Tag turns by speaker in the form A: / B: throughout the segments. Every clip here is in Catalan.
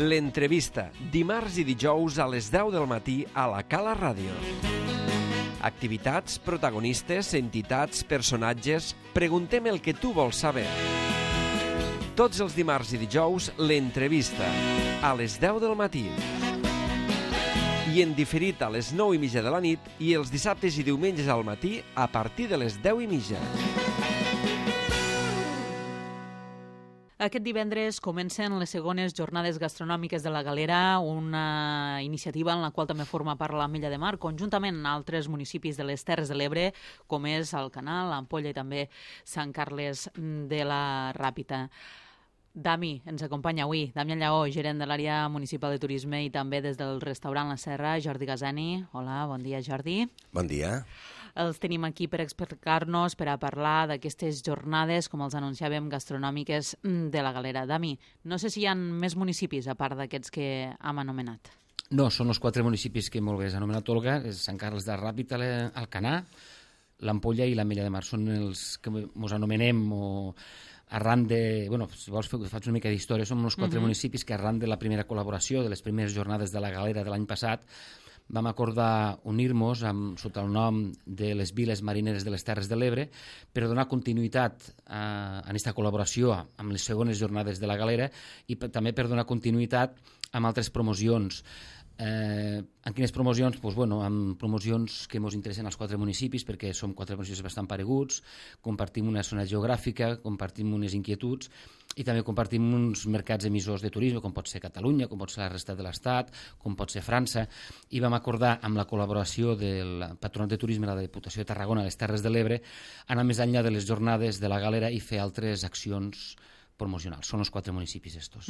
A: L'entrevista, dimarts i dijous a les 10 del matí a la Cala Ràdio. Activitats, protagonistes, entitats, personatges... Preguntem el que tu vols saber. Tots els dimarts i dijous, l'entrevista, a les 10 del matí. I en diferit a les 9:30 de la nit i els dissabtes i diumenges al matí a partir de les 10:30.
B: Aquest divendres comencen les segones jornades gastronòmiques de la Galera, una iniciativa en la qual també forma part l'Ametlla de Mar, conjuntament amb altres municipis de les Terres de l'Ebre, com és Alcanar, l'Ampolla i també Sant Carles de la Ràpita. Dami ens acompanya avui, Damià Lleó, gerent de l'àrea municipal de turisme i també des del restaurant La Serra, Jordi Gazani. Hola, bon dia, Jordi.
C: Bon dia.
B: Els tenim aquí per explicar-nos, per a parlar d'aquestes jornades, com els anunciàvem, gastronòmiques de la Galera. Dami, no sé si hi ha més municipis a part d'aquests que hem anomenat.
D: No, són els 4 municipis que molt bé has anomenat, Olga, és Sant Carles de la Ràpita, Alcanar, l'Ampolla i l'Ametlla de Mar. Són els que ens anomenem o arran de... Bueno, si vols faig una mica d'història, som uns 4 municipis que arran de la primera col·laboració, de les primeres jornades de la Galera de l'any passat, vam acordar unir-nos sota el nom de les Viles Marineres de les Terres de l'Ebre per donar continuïtat a aquesta col·laboració amb les segones jornades de la Galera i també per donar continuïtat amb altres promocions. En quines promocions? Doncs, bueno, amb promocions que ens interessen als 4 municipis perquè som 4 municipis bastant pareguts, compartim una zona geogràfica, compartim unes inquietuds i també compartim uns mercats emissors de turisme, com pot ser Catalunya, com pot ser la resta de l'Estat, com pot ser França, i vam acordar amb la col·laboració del Patronat de Turisme de la Diputació de Tarragona a les Terres de l'Ebre anar més enllà de les jornades de la Galera i fer altres accions promocionals. Són els 4 municipis estos.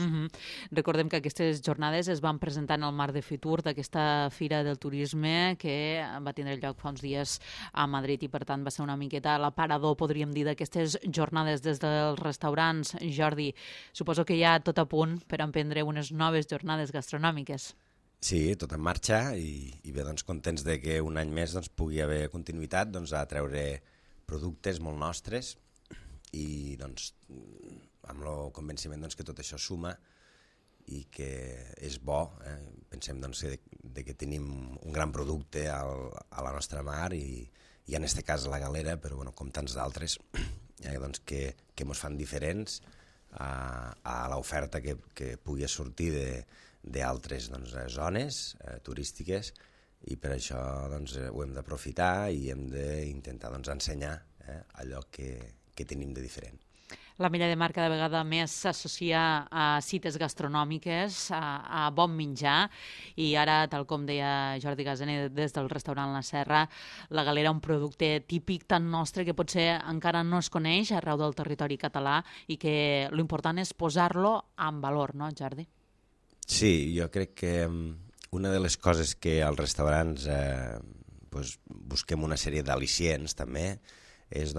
B: Recordem que aquestes jornades es van presentar en el marc de Fitur, d'aquesta Fira del Turisme que va tindre lloc fa uns dies a Madrid i per tant va ser una miqueta l'aparador, podríem dir, d'aquestes jornades des dels restaurants. Jordi, suposo que hi ha tot a punt per emprendre unes noves jornades gastronòmiques.
C: Sí, tot en marxa i bé, doncs, contents de que un any més pugui haver continuïtat a treure productes molt nostres i doncs amb el convenciment que tot això suma i que és bo. Pensem que tenim un gran producte a la nostra mar i en aquest cas a la Galera, però com tants d'altres que ens fan diferents a l'oferta que pugui sortir d'altres zones turístiques i per això ho hem d'aprofitar i hem d'intentar ensenyar allò que tenim de diferent.
B: L'Ametlla de Mar cada vegada més s'associa a cites gastronòmiques, a bon menjar, i ara, tal com deia Jordi Gazani des del restaurant La Serra, la Galera, un producte típic tan nostre que potser encara no es coneix arreu del territori català i que l'important és posar-lo en valor, no, Jordi?
C: Sí, jo crec que una de les coses que als restaurants busquem una sèrie d'al·licients també és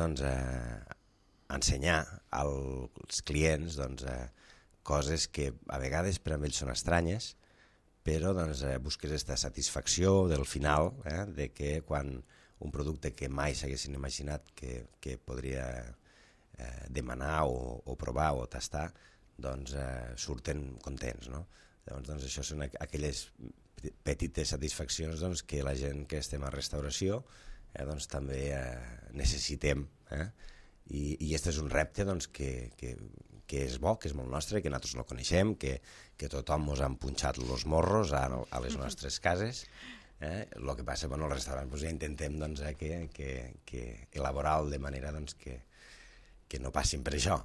C: ensenyar als clients coses que a vegades per a ells són estranyes, però busques aquesta satisfacció del final, de que quan un producte que mai s'haguessin imaginat que podria demanar o provar o tastar, surten contents, no? Llavors, això són aquelles petites satisfaccions que la gent que estem a restauració també necessitem, i aquest és un repte que és bo, que és molt nostre, que nosaltres no coneixem, que tothom ens han punxat els morros a les nostres cases. El que passa, al restaurant ja intentem elaborar-lo de manera que no passin per això.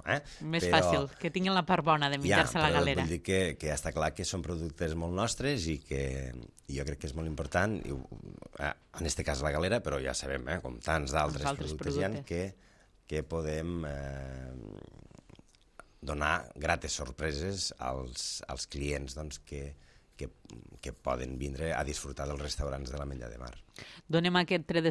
B: Més fàcil, que tinguin la part bona de menjar-se la Galera.
C: Vull dir que està clar que són productes molt nostres i que jo crec que és molt important, en aquest cas la Galera, però ja sabem, com tants d'altres productes hi ha, que podem donar grates sorpreses als clients que poden vindre a disfrutar dels restaurants de l'Ametlla de Mar.
B: Donem aquest tret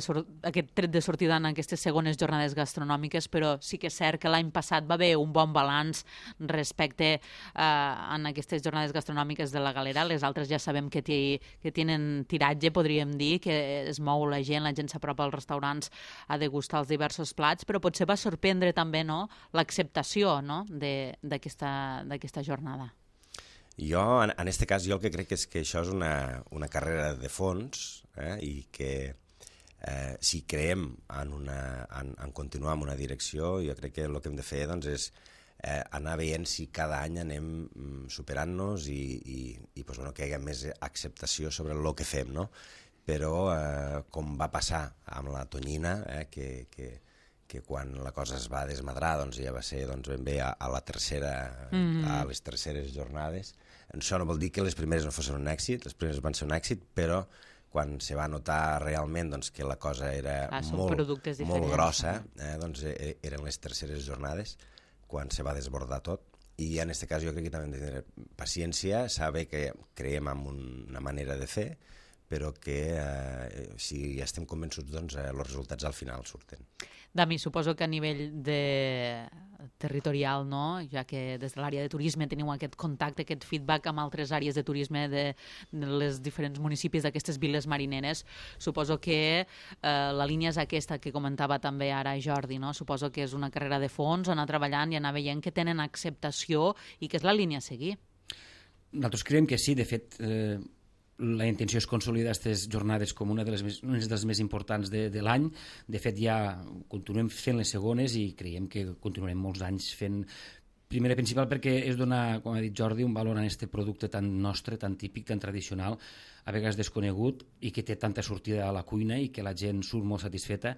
B: de sortida en aquestes segones jornades gastronòmiques, però sí que és cert que l'any passat va haver un bon balanç respecte en aquestes jornades gastronòmiques de la Galera. Les altres ja sabem que tenen tiratge, podríem dir, que es mou la gent s'apropa als restaurants a degustar els diversos plats, però potser va sorprendre també, no?, l'acceptació, no?, d'aquesta jornada.
C: Jo, en aquest cas, jo el que crec és que això és una carrera de fons i que si creiem en continuar en una direcció, jo crec que el que hem de fer doncs, és anar veient si cada any anem superant-nos i pues, bueno, que hi hagi més acceptació sobre el que fem, no? Però com va passar amb la tonyina, que quan la cosa es va desmadrar doncs ja va ser doncs, ben bé a la tercera, a les terceres jornades. Això no vol dir que les primeres no fossin un èxit, les primeres van ser un èxit, però quan se va notar realment doncs, que la cosa era molt grossa, doncs eren les terceres jornades quan se va desbordar tot. I en aquest cas jo crec que també hem de tenir paciència, saber que creiem en una manera de fer, però que si estem convençuts, doncs els resultats al final surten.
B: Dami, suposo que a nivell territorial, no? Ja que des de l'àrea de turisme teniu aquest contacte, aquest feedback amb altres àrees de turisme de les diferents municipis d'aquestes viles marineres, suposo que la línia és aquesta que comentava també ara Jordi, no? Suposo que és una carrera de fons, anar treballant i anar veient que tenen acceptació i que és la línia a seguir.
D: Nosaltres creiem que sí, de fet, la intenció és consolidar aquestes jornades com una de les més importants de l'any. De fet, ja continuem fent les segones i creiem que continuarem molts anys fent. Primera principal perquè és donar, com ha dit Jordi, un valor a aquest producte tan nostre, tan típic, tan tradicional, a vegades desconegut i que té tanta sortida a la cuina i que la gent surt molt satisfeta.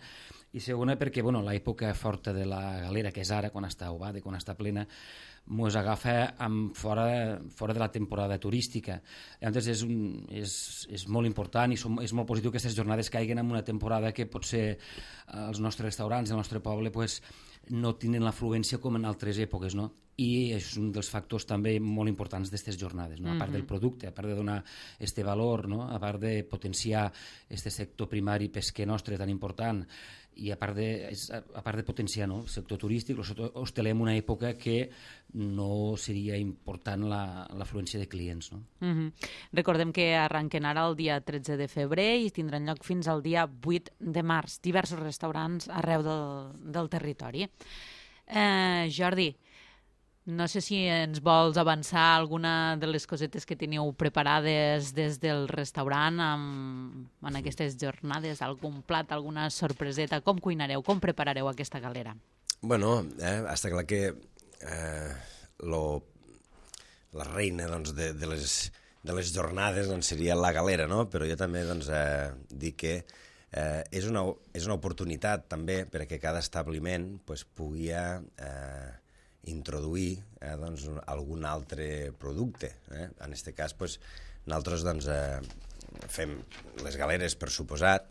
D: I segona perquè l'època forta de la galera, que és ara, quan està ovada, quan està plena, mos agafa fora de la temporada turística. Llavors és molt important i és molt positiu que aquestes jornades caiguen en una temporada que potser els nostres restaurants, el nostre poble, no tenen l'afluència com en altres èpoques, no? I és un dels factors també molt importants d'aquestes jornades, no? A part del producte, a part de donar este valor, no? A part de potenciar este sector primari pesquer nostre tan important i a part de potenciar el sector turístic, el sector hosteler en una època que no seria important l'afluència de clients. No?
B: Recordem que arrenquen ara el dia 13 de febrer i tindran lloc fins al dia 8 de març. Diversos restaurants arreu del territori. Jordi, no sé si ens vols avançar alguna de les cosetes que teniu preparades des del restaurant en aquestes jornades, algun plat, alguna sorpreseta, com cuinareu, com preparareu aquesta galera?
C: Bueno, està clar que la reina de les jornades seria la galera, no? Però jo també dic que és una oportunitat també perquè cada establiment pugui introduir algun altre producte. En aquest cas, nosaltres fem les galeres, per suposat,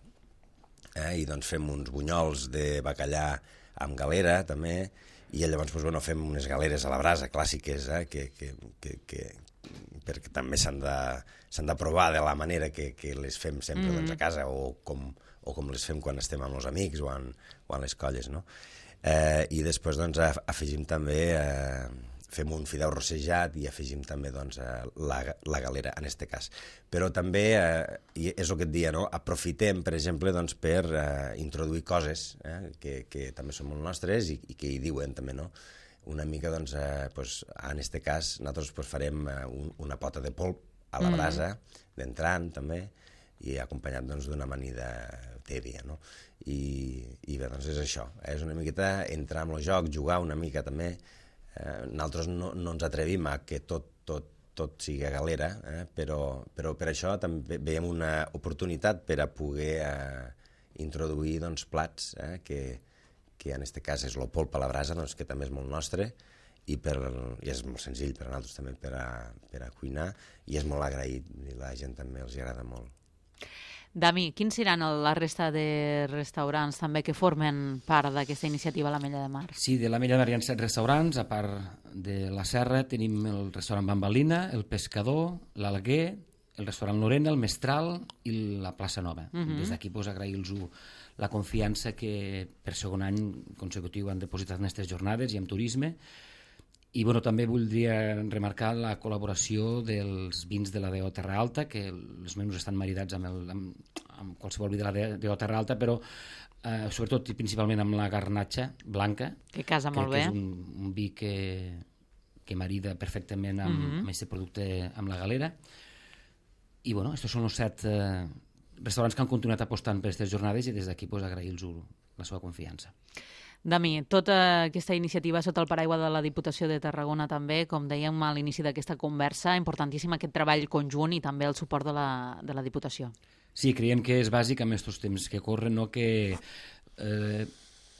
C: i fem uns bunyols de bacallà amb galera, també, i llavors fem unes galeres a la brasa clàssiques, perquè també s'han de provar de la manera que les fem sempre a casa o com les fem quan estem amb els amics o en les colles, no? I després afegim també, fem un fideu rossejat i afegim també la galera en aquest cas. Però també, és el que et dia, aprofitem, per exemple, per introduir coses que també són molt nostres i que hi diuen també, una mica, en aquest cas, nosaltres farem una pota de polp a la brasa, d'entrant també, i acompanyat d'una amanida tèbia, no? I bé, és això, és una miqueta entrar en el joc, jugar una mica també. Nosaltres no ens atrevim a que tot sigui galera, però per això també veiem una oportunitat per a poder introduir plats que en aquest cas és el polp a la brasa, que també és molt nostre, i és molt senzill per a nosaltres també per a cuinar, i és molt agraït, i la gent també els agrada molt.
B: Dami, quins seran la resta de restaurants també que formen part d'aquesta iniciativa l'Ametlla de Mar?
D: Sí, de l'Ametlla de Mar hi ha 7 restaurants. A part de la Serra tenim el restaurant Bambalina, el Pescador, l'Alguer, el restaurant Lorena, el Mestral i la Plaça Nova. Des d'aquí agrair-los la confiança que per segon any consecutiu han depositat en aquestes jornades i en turisme. I també voldria remarcar la col·laboració dels vins de la DO Terra Alta, que els menús estan maridats amb qualsevol vi de la DO Terra Alta, però sobretot i principalment amb la garnatxa blanca.
B: Que casa molt bé.
D: Que és un vi que que marida perfectament amb aquest producte, amb la galera. I bueno, estos són els 7 restaurants que han continuat apostant per aquestes jornades i des d'aquí pues, agrair-los la seva confiança.
B: Dami, tota aquesta iniciativa sota el paraigua de la Diputació de Tarragona també, com dèiem a l'inici d'aquesta conversa, importantíssim aquest treball conjunt i també el suport de la Diputació.
D: Sí, creiem que és bàsic en aquests temps que corren, no? Que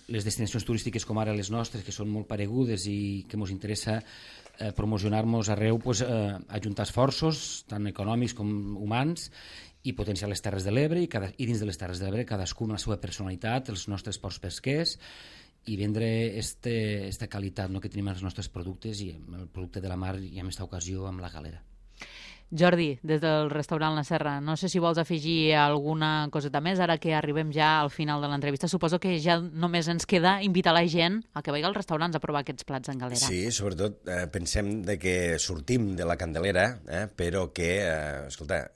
D: les destinacions turístiques com ara les nostres, que són molt paregudes i que ens interessa promocionar-nos arreu, pues, ajuntar esforços, tant econòmics com humans, i potenciar les Terres de l'Ebre i dins de les Terres de l'Ebre cadascú amb la seva personalitat, els nostres ports pesquers, i vendre aquesta qualitat, no, que tenim als nostres productes i el producte de la mar i en aquesta ocasió amb la galera.
B: Jordi, des del restaurant La Serra, no sé si vols afegir alguna coseta més ara que arribem ja al final de l'entrevista. Suposo que ja només ens queda invitar la gent a que vagi als restaurants a provar aquests plats en galera.
C: Sí, sobretot pensem de que sortim de la Candelera, però que, escolta,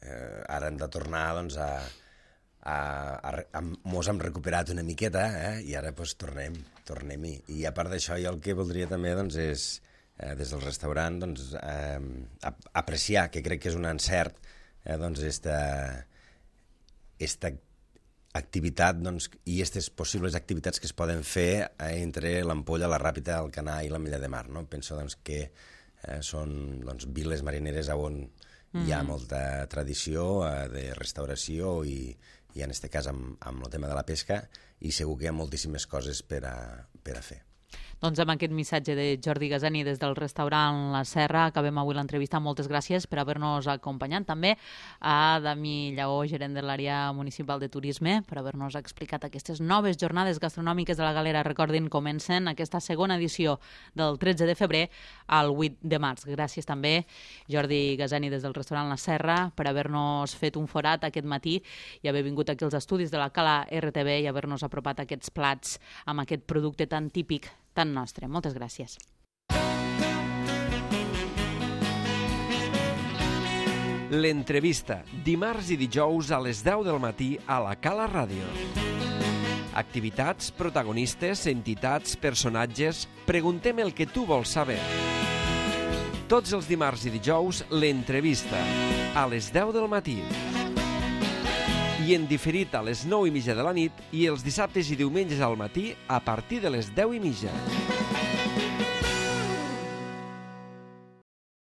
C: ara hem de tornar doncs, mos hem recuperat una miqueta i ara doncs, tornem-hi. I a part d'això, jo el que voldria també doncs, és des del restaurant doncs, apreciar, que crec que és un encert, doncs, esta activitat doncs, i aquestes possibles activitats que es poden fer entre l'Ampolla, la Ràpita, el Canà i l'Ametlla de Mar. No? Penso doncs, que són doncs, viles marineres on hi ha molta tradició de restauració i en aquest cas amb el tema de la pesca, i segur que hi ha moltíssimes coses per a fer.
B: Doncs amb aquest missatge de Jordi Gasani des del restaurant La Serra acabem avui l'entrevista. Moltes gràcies per haver-nos acompanyat. També a Dami Lleó, gerent de l'àrea municipal de turisme, per haver-nos explicat aquestes noves jornades gastronòmiques de la Galera. Recordin, comencen aquesta segona edició del 13 de febrer al 8 de març. Gràcies també, Jordi Gasani des del restaurant La Serra, per haver-nos fet un forat aquest matí i haver vingut aquí als estudis de la Cala RTV i haver-nos apropat aquests plats amb aquest producte tan típic, tan nostre. Moltes gràcies.
A: L'entrevista, dimarts i dijous a les 10 del matí a la Cala Ràdio. Activitats, protagonistes, entitats, personatges... Preguntem el que tu vols saber. Tots els dimarts i dijous, l'entrevista, a les 10 del matí. I en diferit a les 9:30 de la nit i els dissabtes i diumenges al matí a partir de les 10:30.